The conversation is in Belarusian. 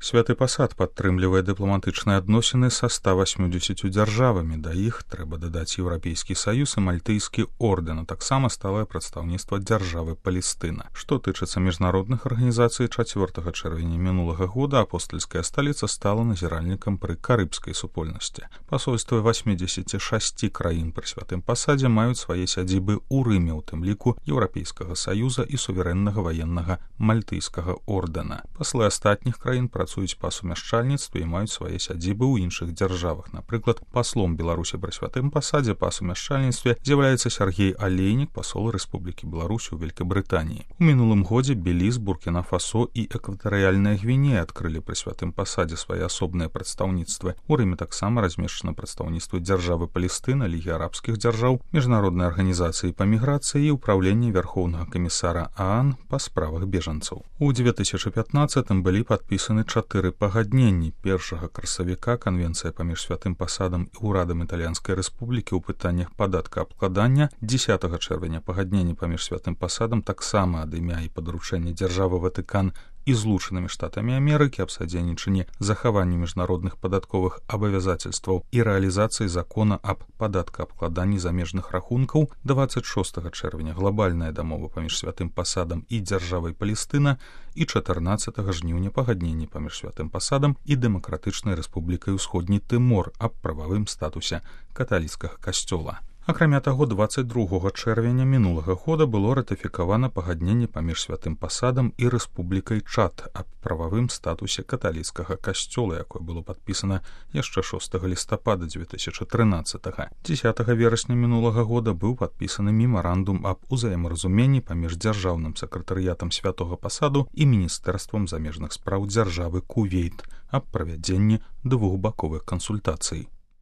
Святы пасад падтрымлівае дыпламатычныя адносіны са 180 дзяржавамі. Да іх трэба дадаць Еўрапейскі саюз і мальтыйскі ордэн, а таксама сталае прадстаўніцтва дзяржавы Палестына. Што тычыцца міжнародных арганізацый, 4 чэрвеня мінулага года апостальская сталіца стала назіральнікам пры карыбскай супольнасці. Пасольствы 86 краін пры святым пасадзе маюць свае сядзібы ў Рыме, у тым ліку Еўрапейскага саюза і суверэннага ваеннага мальтыйскага ордэна. Паслы астатніх краін працуюць па сумяшчальніцтве і маюць свае сядзібы ў іншых дзяржавах. Напрыклад, паслом Беларусі пры святым пасадзе па сумяшчальніцтве з'яўляецца Сергей Алейнік, пасол Рэспублікі Беларусь у Вялікабрытаніі. У мінулым годзе Беліз, Буркіна-Фасо і Экватарыяльная Гвінея адкрылі пры святым пасадзе свае асобныя прадстаўніцтвы. У Рыме таксама размешчана прадстаўніцтва дзяржавы Палестына, Лігі арабскіх дзяржаў, міжнароднай арганізацыі па міграцыі і ўпраўлення Вярхоўнага камісара ААН па справах бежанцаў. У 2015 былі падпісаны 4 пагадненні. 1 красавіка Канвенцыя паміж святым пасадам і ўрадам Італьянскай рэспублікі ў пытаннях падаткаабкладання, 10 чэрвеня пагадненні паміж святым пасадам таксама ад імя і падручэння дзяржавы Ватыкан і Злучанымі Штатамі Амерыкі аб садзейнічанні захаванню міжнародных падатковых абавязацельстваў і рэалізацыі закона аб падаткаабкладанні замежных рахункаў, 26 чэрвеня глобальная дамова паміж святым пасадам і дзяржавай Палестына і 14 жніўня пагадненні паміж святым пасадам і Дэмакратычнай рэспублікай Усходні Тымор аб прававым статусе каталіцкага касцёла. Акрамя таго, 22 чэрвеня мінулага года было ратыфікавана пагадненне паміж святым пасадам і Рэспублікай Чад аб прававым статусе каталіцкага касцёла, якое было падпісана яшчэ 6 лістапада 2013. 10 верасня мінулага года быў падпісаны мемарандум аб узаемаразуменні паміж дзяржаўным сакратарыятам святога пасаду і міністэрствам замежных спраў дзяржавы Кувейт аб правядзенні двухбаковых кансультацый.